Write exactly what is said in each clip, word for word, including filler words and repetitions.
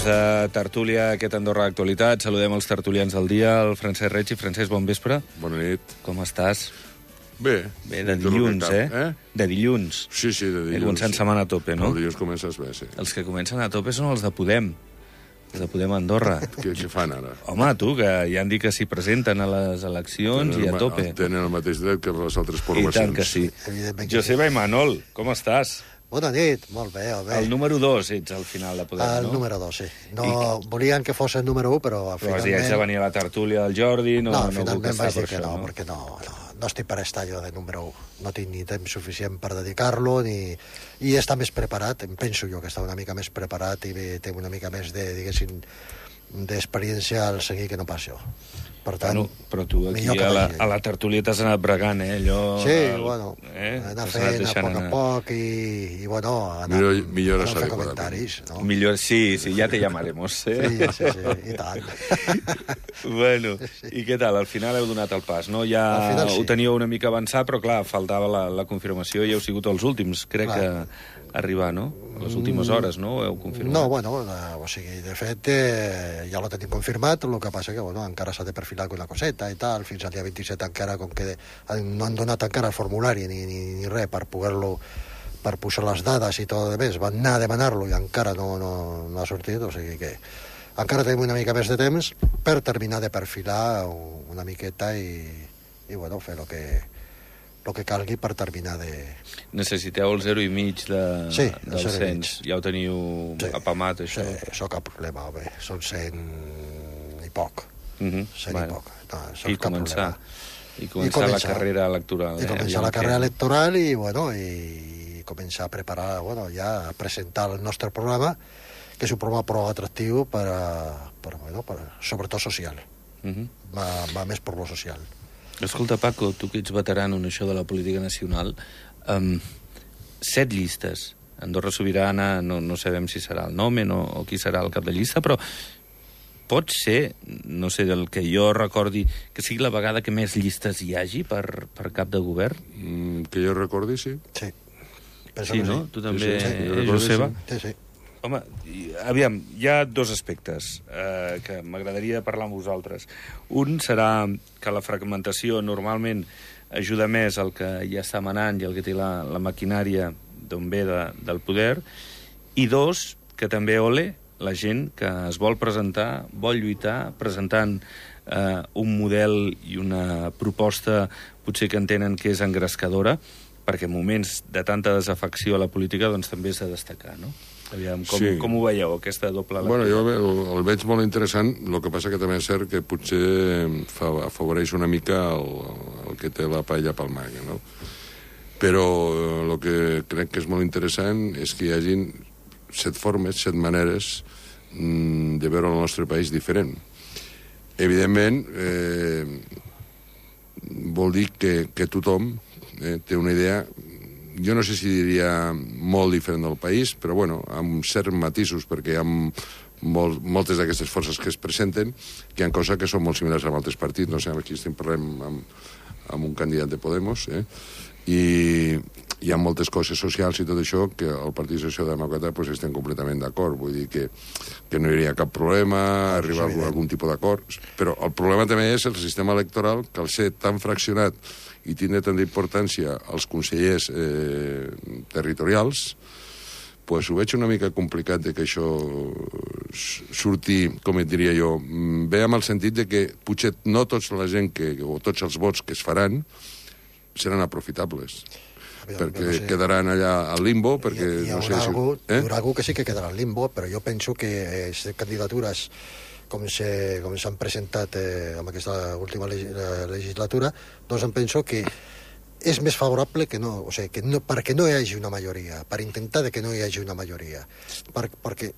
temps de tertúlia, aquest Andorra d'actualitat. Saludem els tertulians del dia, el Francesc Reig. Francesc, bon vespre. Bona nit. Com estàs? Bé. Bé, de dilluns, eh? eh? De dilluns. Sí, sí, de dilluns. He començat setmana a tope, no? El dilluns comences bé, sí. Els que comencen a tope són els de Podem. Els de Podem Andorra. Què, què fan ara? Home, tu, que ja han dit que s'hi presenten a les eleccions tenen i a tope. Tenen el mateix dret que les altres I formacions. tant que sí. Evidentment que Joseba i Manol, com estàs? Bona nit, molt bé, molt bé. El número dos ets al final de Podem, el no? El número dos, sí. No, I... Volien que fos el número un, però Però finalment... si haig de venir a la tertúlia del Jordi, no, no, no, finalment puc vaig estar dir per que això, no, no? perquè no, no, no estic per estar jo de número un. No tinc ni temps suficient per dedicar-lo, ni... i està més preparat, em penso jo que està una mica més preparat i té una mica més de, diguéssim, d'experiència al seguir que no pas jo. Per tant, bueno, però tu aquí a la, a la tertúlia t'has anat bregant, eh? Allò, sí, el, bueno, eh? anar fent a poc a poc i, i bueno, anar, millor, millor anar a fer comentaris, no? Millor, sí, sí, ja te llamaremos, eh? Sí, sí, sí, i tant. Bueno, i què tal? Al final heu donat el pas, no? Ja final, sí. Ho teníeu una mica avançat, però clar, faltava la, la confirmació i heu sigut els últims, crec clar. que arribar, no? Les últimes hores, no? Ho heu confirmat. No, bueno, eh, o sigui, de fet, eh, ja lo tenim confirmat, el que passa que, bueno, encara s'ha de perfilar alguna coseta i tal, fins al dia vint-i-set encara, com que no han donat encara el formulari ni, ni, ni res per poder-lo, per posar les dades i tot de més, van anar a demanar-lo i encara no, no, no ha sortit, o sigui que encara tenim una mica més de temps per terminar de perfilar una miqueta i, i bueno, fer el que el que calgui per terminar de... Necessiteu el zero i mig de, sí, del cens. Ja ho teniu sí, apamat, això? Sí, això cap problema, home. Són cent i poc. Uh -huh. cent bueno. i poc. No, I, començar, I començar. I començar la carrera electoral. I eh? començar la carrera que... electoral i, bueno, i començar a preparar, bueno, ja a presentar el nostre programa, que és un programa prou atractiu per, a, per, bueno, per sobretot social. Uh -huh. va, va més per lo social. Escolta, Paco, tu que ets veterano en això de la política nacional, um, set llistes. Andorra Sobirana, no, no sabem si serà el Nomen o, o qui serà el cap de llista, però pot ser, no sé, del que jo recordi, que sigui la vegada que més llistes hi hagi per, per cap de govern? Mm, que jo recordi, sí. Sí. Sí, no? Sí. Tu també, sí, sí, sí. eh, Joseba? Sí, sí. Home, aviam, hi ha dos aspectes eh, que m'agradaria parlar amb vosaltres. Un serà que la fragmentació normalment ajuda més al que ja està manant i el que té la, la maquinària d'on ve de, del poder, i dos, que també ole la gent que es vol presentar, vol lluitar, presentant eh, un model i una proposta potser que entenen que és engrescadora, perquè en moments de tanta desafecció a la política doncs també és de destacar, no? Aviam, com, sí. com ho veieu, aquesta doble lectura? Bueno, jo el, el veig molt interessant, el que passa que també és cert que potser afavoreix una mica el, el que té la paella pel manga, no? Però el que crec que és molt interessant és que hi hagin set formes, set maneres mm, de veure el nostre país diferent. Evidentment, eh, vol dir que, que tothom eh, té una idea, jo no sé si diria molt diferent del país, però bueno, amb certs matisos, perquè hi ha molt, moltes d'aquestes forces que es presenten, que hi ha coses que són molt similars amb altres partits, no sé, aquí estem parlant amb, amb un candidat de Podemos, eh? I hi ha moltes coses socials i tot això que el Partit Socialdemòcrata pues, estem completament d'acord, vull dir que, que no hi hauria cap problema, arribar a algun, algun tipus d'acord, però el problema també és el sistema electoral, que al ser tan fraccionat i tindre tant d'importància als consellers eh, territorials, pues ho veig una mica complicat de que això surti, com et diria jo, bé amb el sentit de que potser no tota la gent que, o tots els vots que es faran seran aprofitables. Aviam, perquè no sé. Quedaran allà al limbo, perquè hi, hi no sé si... Algú, eh? Hi haurà algú que sí que quedarà al limbo, però jo penso que eh, candidatures com s'han presentat eh, en aquesta última legislatura, doncs em penso que és més favorable que no, o sigui, que no, perquè no hi hagi una majoria, per intentar de que no hi hagi una majoria. Per, perquè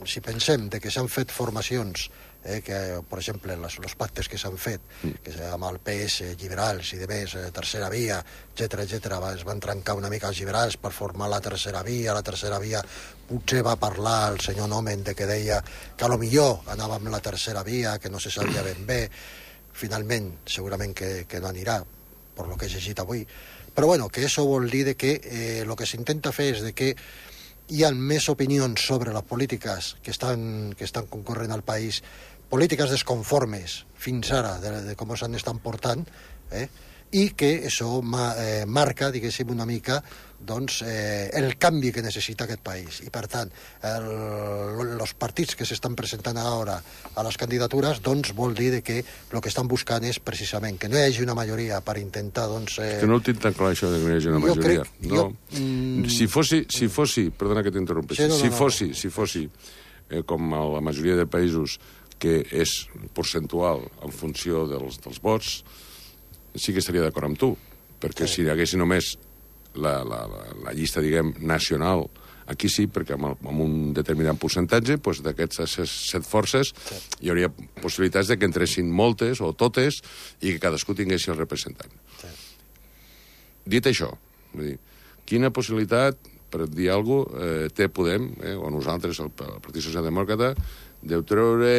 si pensem de que s'han fet formacions, eh, que, per exemple, els pactes que s'han fet, que amb el P S, liberals i de més, eh, tercera via, etcètera, etcètera, es van trencar una mica els liberals per formar la tercera via. La tercera via potser va parlar el senyor Nomen de que deia que a lo millor anava amb la tercera via, que no se sabia ben bé. Finalment, segurament que, que no anirà, per lo que he llegit avui. Però bueno, que això vol dir de que eh, lo que s'intenta fer és de que hi ha més opinions sobre les polítiques que estan, que estan concorrent al país, polítiques desconformes fins ara de, de com s'han estat portant, eh? I que això ma, eh, marca, diguéssim, una mica doncs, eh, el canvi que necessita aquest país. I, per tant, els partits que s'estan presentant ara a les candidatures doncs, vol dir que el que estan buscant és precisament que no hi hagi una majoria per intentar... Doncs, eh... Que no ho tinc tan clar, això de que no hi hagi una majoria. Crec, no. jo, mm... Si fossi, si fossi, perdona que t'interrompessi, sí, no, no, si no, fossi, no. si fossi eh, com a la majoria de països que és percentual en funció dels, dels vots, sí que estaria d'acord amb tu, perquè sí. Si hi hagués només la, la, la, la llista, diguem, nacional, aquí sí, perquè amb, el, amb un determinat percentatge, doncs, d'aquestes set forces sí. Hi hauria possibilitats de que entressin moltes o totes i que cadascú tingués el representant. Sí. Dit això, vull dir, quina possibilitat, per dir alguna cosa, eh, té Podem, eh, o nosaltres, el, el Partit Socialdemòcrata, de treure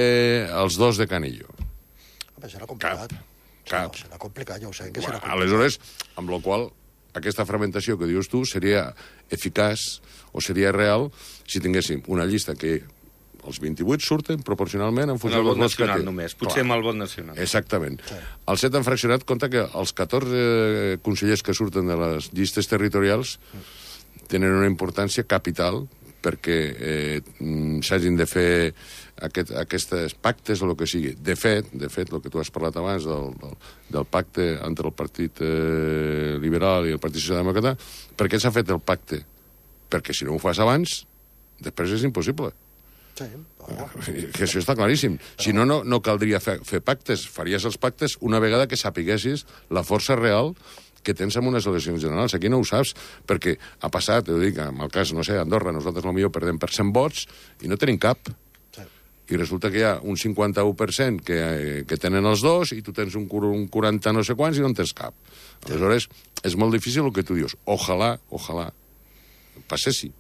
els dos de Canillo? Home, serà complicat. Cap. Cap. No, serà complicat, ja ho sé, que serà complicat. Aleshores, amb la qual aquesta fragmentació que dius tu seria eficaç o seria real si tinguéssim una llista que els vint-i-vuit surten proporcionalment en funció del dels vot vots que té. nacional només, potser Clar. amb el vot nacional. Exactament. Sí. Els set han fraccionat, compte que els catorze consellers que surten de les llistes territorials tenen una importància capital perquè eh, s'hagin de fer aquest, aquestes pactes o el que sigui. De fet, de fet, el que tu has parlat abans del, del, del pacte entre el Partit eh, Liberal i el Partit Socialdemòcrata, per què s'ha fet el pacte? Perquè si no ho fas abans, després és impossible. Sí, oh. Que això està claríssim. Si no, no, no caldria fer, fer pactes. Faries els pactes una vegada que sapiguessis la força real que tens en unes eleccions generals. Aquí no ho saps, perquè ha passat, ho dic, en el cas, no sé, Andorra, nosaltres potser perdem per cent vots i no tenim cap. Sí. I resulta que hi ha un cinquanta-u per cent que, que tenen els dos i tu tens un, un quaranta no sé quants i no en tens cap. Aleshores, és molt difícil el que tu dius. Ojalà, ojalà, passessi,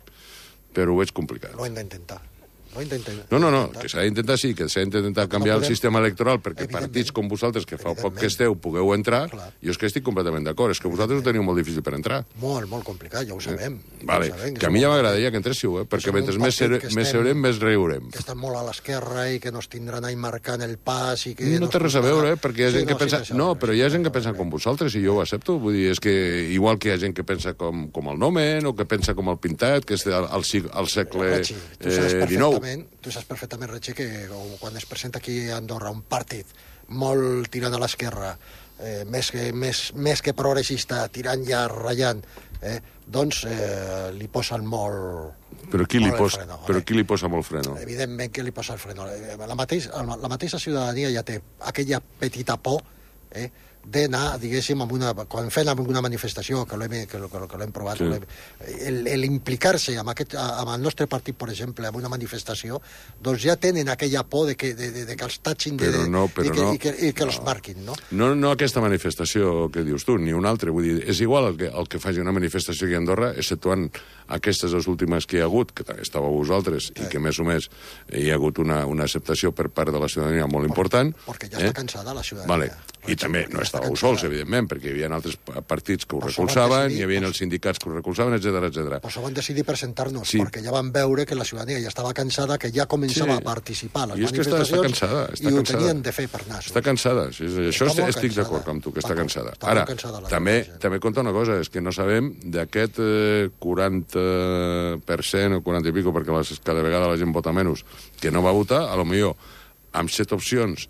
però ho veig complicat. Ho hem d'intentar. No, no, no, no, que s'ha d'intentar, sí, que s'ha d'intentar canviar no podem... el sistema electoral perquè partits com vosaltres, que fa poc que esteu, pugueu entrar. Clar. Jo és que estic completament d'acord, és que vosaltres ho teniu molt difícil per entrar. Molt, molt complicat, ja ho sabem. Eh? Vale. Ja ho sabem, que, que a mi ja m'agradaria que entréssiu, eh? perquè mentre més, ser, estem, més seurem, més riurem. Que estan molt a l'esquerra i que nos tindran ahí marcant el pas i que... No té res a veure, eh? perquè hi ha gent sí, que no, pensa... Sí, no, però hi ha gent que pensa com vosaltres i jo ho accepto. Vull dir, és que igual que hi ha gent que pensa com, com el Nomen o que pensa com el Pintat, que és al, al, al segle eh, dinou. Tu saps perfectament, Retxi, que quan es presenta aquí a Andorra un partit molt tirant a l'esquerra, eh, més, que, més, més que progressista, tirant ja, ratllant, eh, doncs eh, li posen molt... Però qui, molt li pos, freno, però eh? qui li posa molt freno? Evidentment que li posa el freno. La, mateix, la mateixa ciutadania ja té aquella petita por, eh, d'anar, diguéssim, amb una, quan fem una manifestació, que l'hem que, que l'hem provat, sí. l'implicar-se amb, aquest, amb el nostre partit, per exemple, en una manifestació, doncs ja tenen aquella por de que, de, de, de que els tatxin de, no, i que, no, i que, i que no. els marquin, no? No, no aquesta manifestació que dius tu, ni una altra. Vull dir, és igual el que, el que faci una manifestació aquí a Andorra, exceptuant aquestes les últimes que hi ha hagut, que també estàveu vosaltres, sí. I que més o més hi ha hagut una, una acceptació per part de la ciutadania molt important. Perquè ja està eh? cansada la ciutadania. Vale. I també no estàveu sols, evidentment, perquè hi havia altres partits que ho recolzaven, decidir, hi havia els sindicats que ho recolzaven, etcètera, etcètera. Però això van decidir presentar-nos, sí. perquè ja van veure que la ciutadania ja estava cansada, que ja començava sí. a participar a les I manifestacions està, està cansada, està i ho cansada. tenien de fer per nassos. Està cansada, sí, això està estic d'acord amb tu, que està cansada. Està Ara, cansada també, també compta una cosa, és que no sabem d'aquest eh, quaranta per cent o quaranta i pico, perquè les, cada vegada la gent vota menys, que no va votar, a lo millor amb set opcions,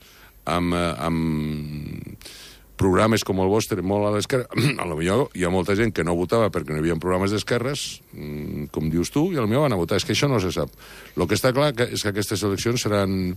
amb... amb programes com el vostre, molt a l'esquerra, a lo millor hi ha molta gent que no votava perquè no hi havia programes d'esquerres, com dius tu, i a lo millor van a votar. És que això no se sap. El que està clar és que aquestes eleccions seran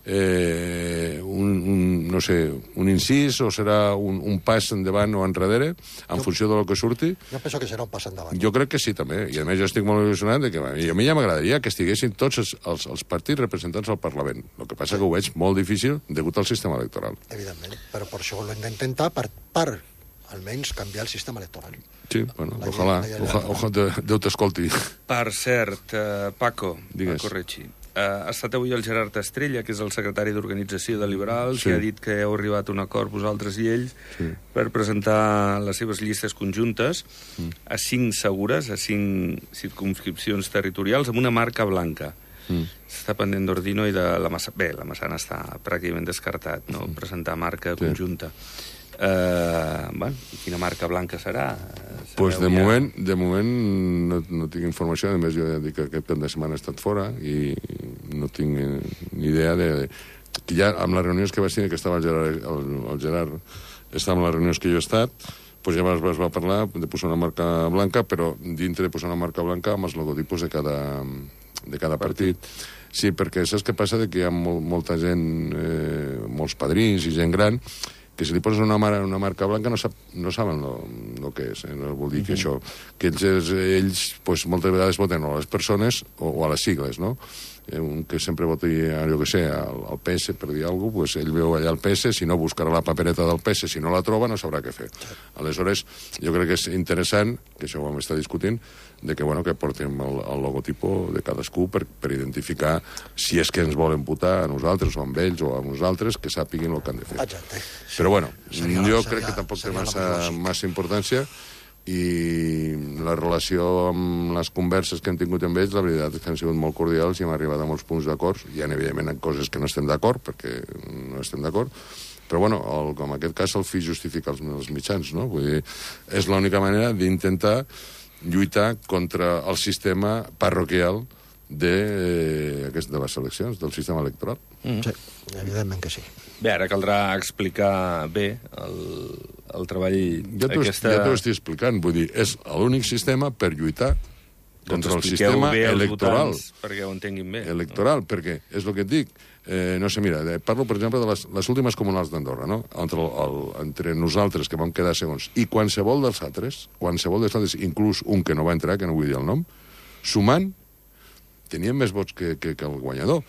eh, un, un, no sé, un incís o serà un, un pas endavant o enrere, en jo, funció del que surti. Jo penso que serà un pas endavant. Jo crec que sí, també. I a més jo estic molt il·lusionat de que a mi ja m'agradaria que estiguessin tots els, els, els partits representats al Parlament. El que passa sí. que ho veig molt difícil degut al sistema electoral. Evidentment, però per això ho hem d'intentar per, per almenys canviar el sistema electoral. Sí, bueno, ojalà, ojalà, ojalà Déu t'escolti. Per cert, uh, Paco, Digues. Paco Retxi, ha estat avui el Gerard Estrella, que és el secretari d'Organització de Liberals, Sí. que ha dit que heu arribat a un acord vosaltres i ells Sí. per presentar les seves llistes conjuntes Mm. a cinc segures, a cinc circumscripcions territorials, amb una marca blanca. Mm. S'està pendent d'Ordino i de la Massana. Bé, la Massana està pràcticament descartat, no? Presentar marca Sí. conjunta. Uh, bueno, quina marca blanca serà? Doncs pues de, Sabeu ja? moment, de moment no, no tinc informació, a més jo ja dic que aquest cap de setmana he estat fora i no tinc eh, ni idea de, de... Que ja amb les reunions que vaig tenir, que estava el Gerard, el, el Gerard estava amb les reunions que jo he estat, pues ja es va parlar de posar una marca blanca, però dintre de posar una marca blanca amb els logotipos de cada, de cada partit. Sí, perquè saps què passa? De que hi ha molt, molta gent, eh, molts padrins i gent gran, que si li poses una, mar una marca blanca no, sap, no saben el que és. Eh? No vol dir que això... Que ells, ells pues, moltes vegades voten o a les persones o, o a les sigles, no? Un que sempre voti, jo que sé, al, al P S, per dir alguna cosa, pues ell veu allà el P S, si no buscarà la papereta del P S, si no la troba no sabrà què fer. Aleshores, jo crec que és interessant, que això ho vam estar discutint, de que, bueno, que portem el, el logotipo de cadascú per, per identificar si és que ens volen votar a nosaltres o amb ells o a nosaltres, que sàpiguin el que han de fer. Exacte. Però, bueno, Seria- jo seria- crec que tampoc té seria la massa, més lògic. massa importància i la relació amb les converses que hem tingut amb ells, la veritat és que han sigut molt cordials i hem arribat a molts punts d'acord. Hi ha, evidentment, en coses que no estem d'acord, perquè no estem d'acord, però, bueno, el, com en aquest cas, el fi justifica els, els mitjans, no? Vull dir, és l'única manera d'intentar lluitar contra el sistema parroquial de, eh, de les eleccions, del sistema electoral. Mm. Sí, evidentment que sí. Bé, ara caldrà explicar bé el, el treball... Ja t'ho aquesta... ja t'ho estic explicant, vull dir, és l'únic sistema per lluitar contra el Doncs expliqueu sistema bé als electoral. votants perquè ho entenguin bé. Electoral, perquè és el que et dic. Eh, no sé, mira, parlo, per exemple, de les, les últimes comunals d'Andorra, no? Entre, el, el, entre nosaltres, que vam quedar segons, i qualsevol dels altres, qualsevol dels altres, inclús un que no va entrar, que no vull dir el nom, sumant, tenien més vots que, que, que el guanyador.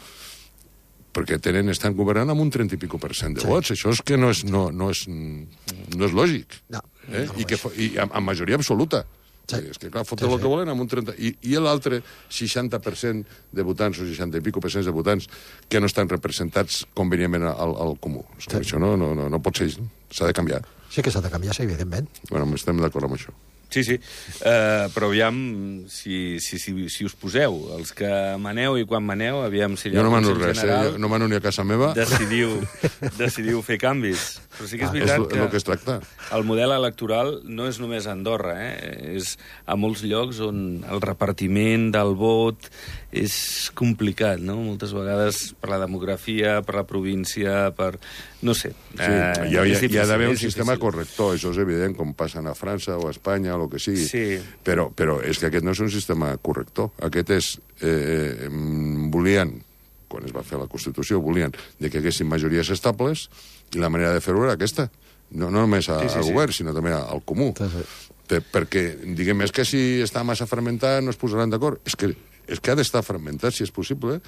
Perquè tenen, estan governant amb un trenta i pico per cent de Sí. vots. Això és que no és, no, no és, no és lògic. No, eh? no ho I, que, és. fa- I amb, amb majoria absoluta. Sí. És que, clar, fotre Sí, el sí. que volen amb un trenta... I, i l'altre seixanta per cent de votants o seixanta i pico per cent de votants que no estan representats convenientment al, al comú. És que Sí. això no, no, no, no pot ser, s'ha de canviar. Sí que s'ha de canviar, sí, evidentment. Bueno, estem d'acord amb això. Sí, sí, uh, però aviam si, si, si, si us poseu, els que maneu i quan maneu, aviam si Jo no mano Consell res, eh? General Jo no mano ni a casa meva. decidiu, decidiu fer canvis. Però sí que és Ah, És veritat el que... que es tracta. El model electoral no és només a Andorra, eh? És a molts llocs on el repartiment del vot és complicat, no? Moltes vegades per la demografia, per la província, per... no sé. Sí, hi ha, hi ha, és hi ha difícil, d'haver un és sistema difícil. corrector, això és evident, com passen a França o a Espanya o el que sigui. Sí. Però, però és que aquest no és un sistema corrector. Aquest és... Eh, mm, volien, quan es va fer la Constitució, volien de que haguessin majories estables i la manera de fer-ho era aquesta. No, no només a, Sí, sí, al sí. govern, sinó també al comú. Sí, sí. Per, perquè, diguem, és que si està massa fragmentat no es posaran d'acord. És que, és que ha d'estar fragmentat, si és possible,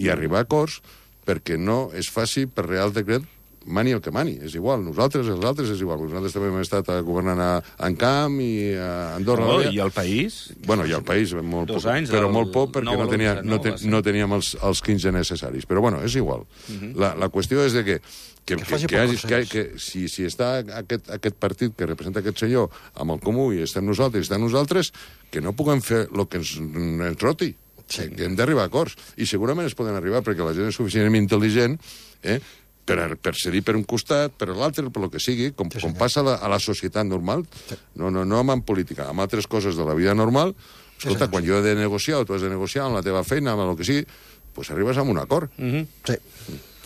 i arribar a acords perquè no es faci per Real Decret mani el que mani, és igual. Nosaltres, els altres, és igual. Nosaltres també hem estat governant a Encamp i a Andorra. No, Noia. i el país? Bueno, i al país, molt Dos poc, anys, però el molt poc perquè nou no, a tenia, l'onze, no, no? ten, Va ser. no teníem els, els quinze necessaris. Però, bueno, és igual. Uh -huh. la, la qüestió és de que que, Que que, faci que, per hagi, que, consens. que si, si està aquest, aquest partit que representa aquest senyor amb el comú i estem nosaltres i estem nosaltres, que no puguem fer el que ens, ens roti. Sí. Que hem d'arribar a acords. I segurament es poden arribar perquè la gent és suficientment intel·ligent eh, per, per cedir per un costat, per l'altre, per lo que sigui, com, Sí, com senyor. passa passa a la, a la societat normal. Sí. No, no, no amb política, amb altres coses de la vida normal. Escolta, senyor, quan jo he de negociar o tu has de negociar amb la teva feina, amb el que sigui, doncs arribes a un acord. Mm -hmm. Sí,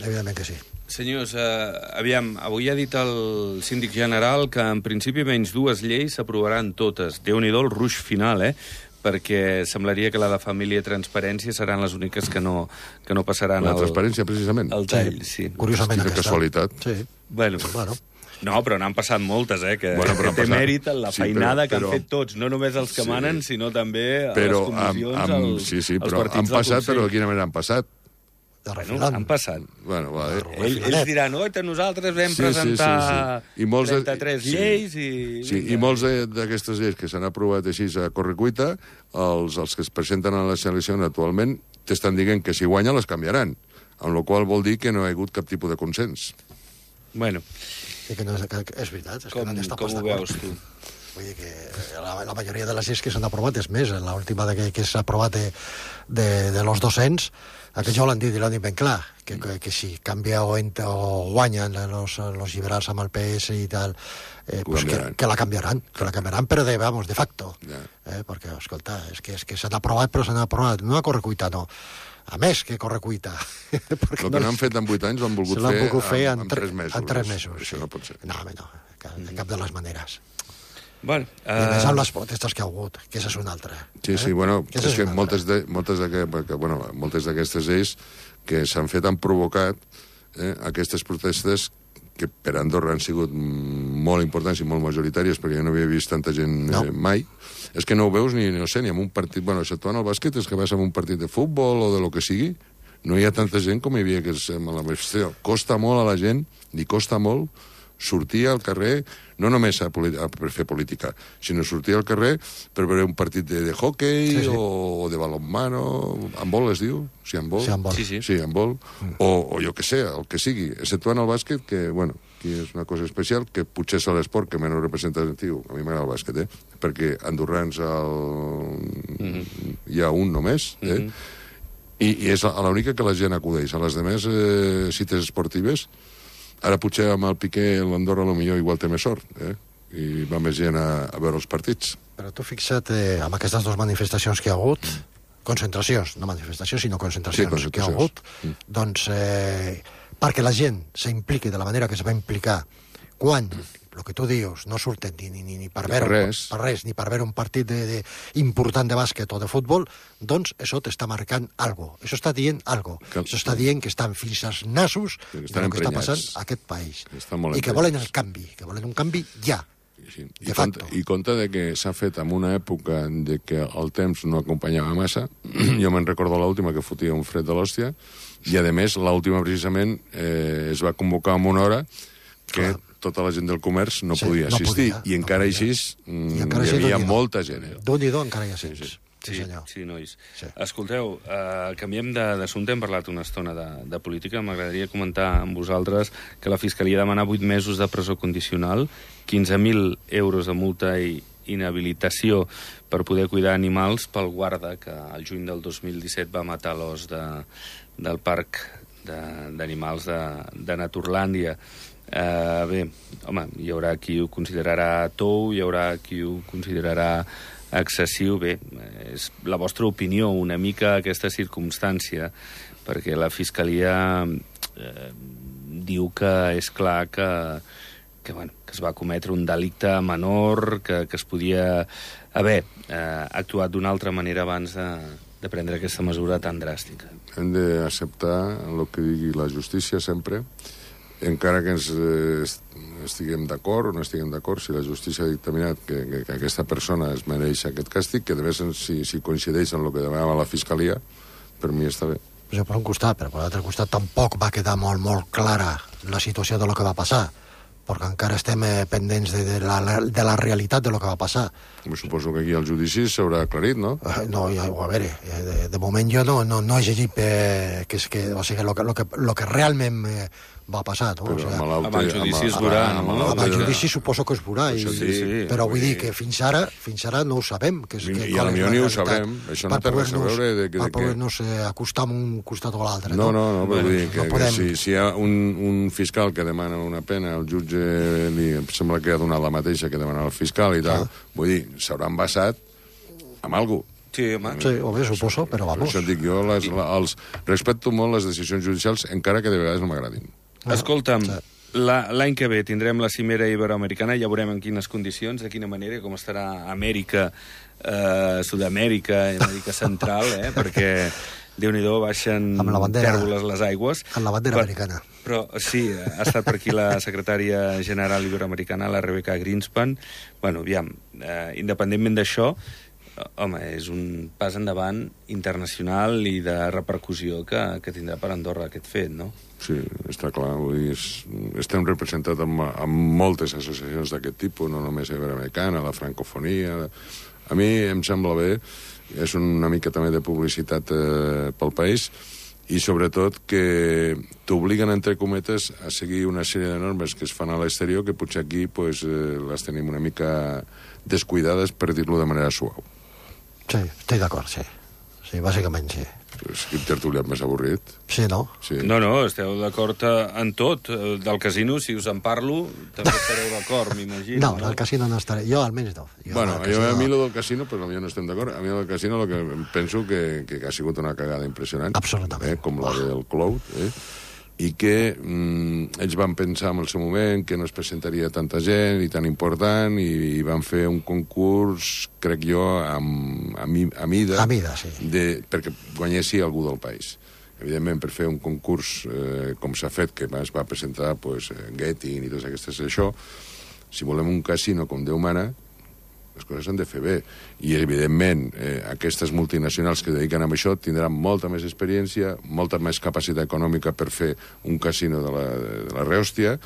evidentment que sí. Senyors, eh, aviam, avui ha dit el síndic general que en principi menys dues lleis s'aprovaran totes. Déu-n'hi-do el ruix final, eh? Perquè semblaria que la de família i transparència seran les úniques que no, que no passaran La el, transparència, precisament. el tall. Sí. Curiosament, Quina aquesta. casualitat. Sí. Bueno, Bueno, no, però n'han passat moltes, eh? Que, Bueno, però que han té passat. mèrit en la Sí, feinada però- que han però- fet tots, no només els que Sí. manen, sinó també a Però, les amb, comissions, amb, als, sí, sí, als però partits han del passat, Consell. però de quina manera han passat? de Bueno, refilant. han passat. Bueno, va, eh? Ell, ells diran, oi, nosaltres vam Sí, sí, presentar sí, sí. I molts de- trenta-tres sí. lleis i... Sí, i molts de- d'aquestes lleis que s'han aprovat així a correcuita, els, els que es presenten a les eleccions actualment t'estan dient que si guanya les canviaran, amb la qual vol dir que no hi ha hagut cap tipus de consens. Bueno. I que, no és, que és veritat. És com que no com ho veus, tu? Vull dir que la, la majoria de les lleis que s'han aprovat, és més, l'última que, que s'ha aprovat de, de, de los docents, aquest ja l'han dit i l'han dit ben clar, que, que, que si canvia o, ent, o guanyen los, los liberals amb el P S i tal, eh, pues que, que la canviaran, que la canviaran, però de, vamos, de facto. Yeah. Eh, perquè, escolta, és que, és que s'han aprovat, però s'han aprovat, no a correcuita, no. A més que correcuita. El que no han fet en vuit anys l'han volgut fer, fer en, en, en tres mesos. En tres mesos, Això sí. no pot ser. No, home, no, de cap de les maneres. Bueno, uh... I més amb les protestes que ha hagut, que és una altra. Sí, sí, eh? bueno, que és, és que moltes de, moltes de, que, bueno, moltes d'aquestes lleis que s'han fet han provocat eh, aquestes protestes que per Andorra han sigut molt importants i molt majoritàries, perquè jo no havia vist tanta gent no. eh, mai. És que no ho veus ni, no sé, ni en un partit... Bueno, exceptuant el bàsquet, és que vas a un partit de futbol o de lo que sigui, no hi ha tanta gent com hi havia que és amb la manifestació. Costa molt a la gent, li costa molt sortir al carrer, no només a, a fer política, sinó sortir al carrer per veure un partit de, de hockey sí, sí. O, o de balonmano, handbol es diu? Sí, handbol. Sí, handbol. Sí, sí. Sí, handbol. Mm. O, o jo que sé, el que sigui, exceptuant el bàsquet, que, bueno, aquí és una cosa especial, que potser és l'esport que menys representatiu, a mi m'agrada el bàsquet, eh? Perquè andorrans el... mm-hmm. hi ha un només, eh? Mm-hmm. I, i és l'única que la gent acudeix. A les demés eh, cites esportives, ara potser amb el Piqué l'Andorra potser igual té més sort, eh? I va més gent a, a veure els partits. Però tu fixa't, eh, amb aquestes dues manifestacions que hi ha hagut, concentracions, no manifestacions, sinó concentracions, sí, concentracions. que hi ha hagut, mm. doncs, eh, perquè la gent s'impliqui de la manera que es va implicar quan, el que tu dius, no surten ni, ni, ni per, veure, per, res. per res, ni per veure un partit de, de, important de bàsquet o de futbol, doncs això t'està marcant algo. Això està dient algo. Que, això està dient que estan fins als nassos de lo que està passant a aquest país. I que volen el canvi, que volen un canvi ja. Sí. I, compte, I compte de que s'ha fet en una època de que el temps no acompanyava massa. Jo me'n recordo l'última que fotia un fred de l'hòstia, i a més l'última precisament eh, es va convocar en una hora que Clar. tota la gent del comerç no sí, podia assistir, no podia, i encara no així mm, I encara hi havia molta gent. Eh? Déu-n'hi-do, encara hi ha gent. Sí, sí. Sí, sí, senyor. Sí, nois. Sí. Escolteu, uh, canviem d'assumpte, hem parlat una estona de, de política. M'agradaria comentar amb vosaltres que la Fiscalia demana vuit mesos de presó condicional, quinze mil euros de multa i inhabilitació per poder cuidar animals pel guarda que el juny del dos mil disset va matar l'os de, del parc d'animals de, de, de Naturlàndia. Uh, bé, home, hi haurà qui ho considerarà tou, hi haurà qui ho considerarà excessiu. Bé, és la vostra opinió una mica aquesta circumstància, perquè la Fiscalia eh, diu que és clar que, que, bueno, que es va cometre un delicte menor, que, que es podia haver eh, actuat d'una altra manera abans de, de prendre aquesta mesura tan dràstica. Hem d'acceptar el que digui la justícia sempre, encara que ens eh, estiguem d'acord o no estiguem d'acord, si la justícia ha dictaminat que, que, que aquesta persona es mereix aquest càstig, que de més si, si coincideix en el que demanava la Fiscalia, per mi està bé. Pues per un costat, però per l'altre costat tampoc va quedar molt, molt clara la situació de lo que va passar, perquè encara estem eh, pendents de, de, la, de la realitat de lo que va passar. Me suposo que aquí el judici s'haurà aclarit, no? Uh, no, ja, a veure, de, de moment jo no, no, no he llegit eh, que és que, o sigui, lo que, lo que, lo que realment eh, va passar, no? Però o sigui, amb, amb el judici es veurà, no? Amb el judici suposo que es veurà, i, sí, sí, però vull dir que fins ara, fins ara no ho sabem. Que és, que I a la millor ni ho sabrem, això no té res a veure de que... Per poder-nos acostar amb un costat o l'altre. No, no, no, però vull dir que, no podem... que si, si hi ha un, un fiscal que demana una pena, el jutge li sembla que ha donat la mateixa que demana el fiscal i tal, ah. vull dir, s'hauran basat amb alguna cosa. Sí, home. Sí, o bé, suposo, però vamos. Per això dic jo, les, la, els, respecto molt les decisions judicials, encara que de vegades no m'agradin. Escolta'm, sí. l'any que ve tindrem la cimera iberoamericana, ja veurem en quines condicions, de quina manera, com estarà Amèrica, eh, Sud-amèrica, Amèrica Central, eh, perquè Déu-n'hi-do, baixen tèrboles les aigües. Amb la bandera per, americana. Però sí, ha estat per aquí la secretària general iberoamericana, la Rebecca Greenspan. Bueno, aviam, eh, independentment d'això, home, és un pas endavant internacional i de repercussió que, que tindrà per Andorra aquest fet, no? Sí, està clar. Vull dir, és, estem representats amb, amb moltes associacions d'aquest tipus, no només iberoamericana, la francofonia... A mi em sembla bé és una mica també de publicitat eh, pel país, i sobretot que t'obliguen, entre cometes, a seguir una sèrie de normes que es fan a l'exterior que potser aquí pues, eh, les tenim una mica descuidades, per dir-lo de manera suau. Sí, estic d'acord, sí. Sí, bàsicament sí. És quin tertuliat més avorrit. Sí, no? Sí. No, no, esteu d'acord en tot. Del casino, si us en parlo, també estareu d'acord, m'imagino. No, del casino no estaré. Jo almenys no. Jo Bueno, casino... jo, a mi lo del casino, però potser no estem d'acord. A mi lo del casino lo que penso que, que ha sigut una cagada impressionant. Absolutament. Eh, com la del Cloud, eh? I que mm, ells van pensar en el seu moment que no es presentaria tanta gent i tan important, i, i van fer un concurs, crec jo, amb, a, mi, a mida, a mida sí. de, perquè guanyessi algú del país. Evidentment, per fer un concurs eh, com s'ha fet, que es va presentar pues, Getting i totes aquestes això, si volem un casino com Déu mana, les coses s'han de fer bé. I, evidentment, eh, aquestes multinacionals que dediquen a això tindran molta més experiència, molta més capacitat econòmica per fer un casino de la, de la rehòstia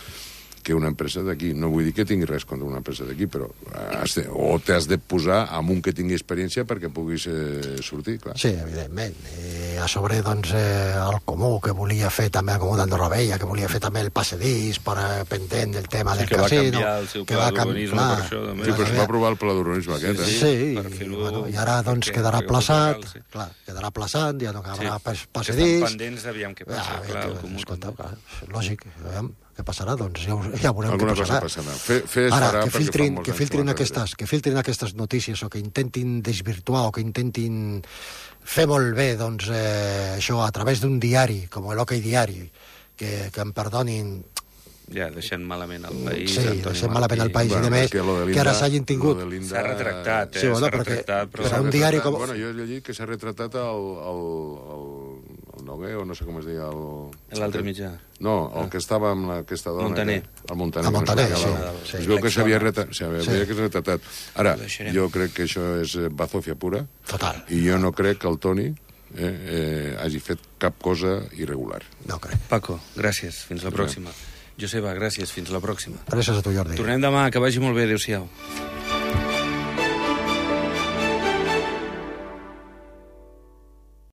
que una empresa d'aquí. No vull dir que tingui res contra una empresa d'aquí, però has de, o t'has de posar amb un que tingui experiència perquè puguis eh, sortir, clar. Sí, evidentment. I a sobre, doncs, eh, el Comú, que volia fer també el Comú d'Andorra Vella, que volia fer també el passadís per eh, pendent del tema sí, del casino. Que va canviar el seu pla d'urbanisme per això. També. Sí, però es va aprovar el pla d'urbanisme aquest, eh? Sí, sí, i, bueno, i ara, doncs, perquè, quedarà plaçat, legal, sí. clar, quedarà plaçat, ja no acabarà sí. passadís. Estan pendents, aviam què passa, ja, clar, el Comú. Escolta, clar, lògic, aviam. Què passarà? Doncs ja, ja veurem Alguna què passarà. Cosa passarà. Fe, fe Ara, que filtrin, que, filtrin aquestes, que filtrin aquestes notícies o que intentin desvirtuar o que intentin fer molt bé doncs, eh, això a través d'un diari, com l'Ok Diari, que, que em perdonin... Ja, deixant malament el país... Sí, deixant malament el país, bueno, i demés, que, Linda, que ara s'hagin tingut... Linda... S'ha retractat, eh? Sí, bueno, s'ha retractat, però... però un diari com... Bueno, jo he llegit que s'ha retratat el, el, el, el Noguer, o no sé com es deia... L'altre mitjà. No, el ah. que estava amb la, aquesta dona... Montaner. Que, el Montaner. El Montaner, sí. sí. Es veu que s'havia retratat. Sí. retratat. Ara, jo crec que això és bazofia pura. Total. I jo no crec que el Toni eh, eh, hagi fet cap cosa irregular. No crec. Paco, gràcies. Fins la pròxima. Joseba, gràcies. Fins la pròxima. Gràcies a tu, Jordi. Tornem demà. Que vagi molt bé. Adéu-siau.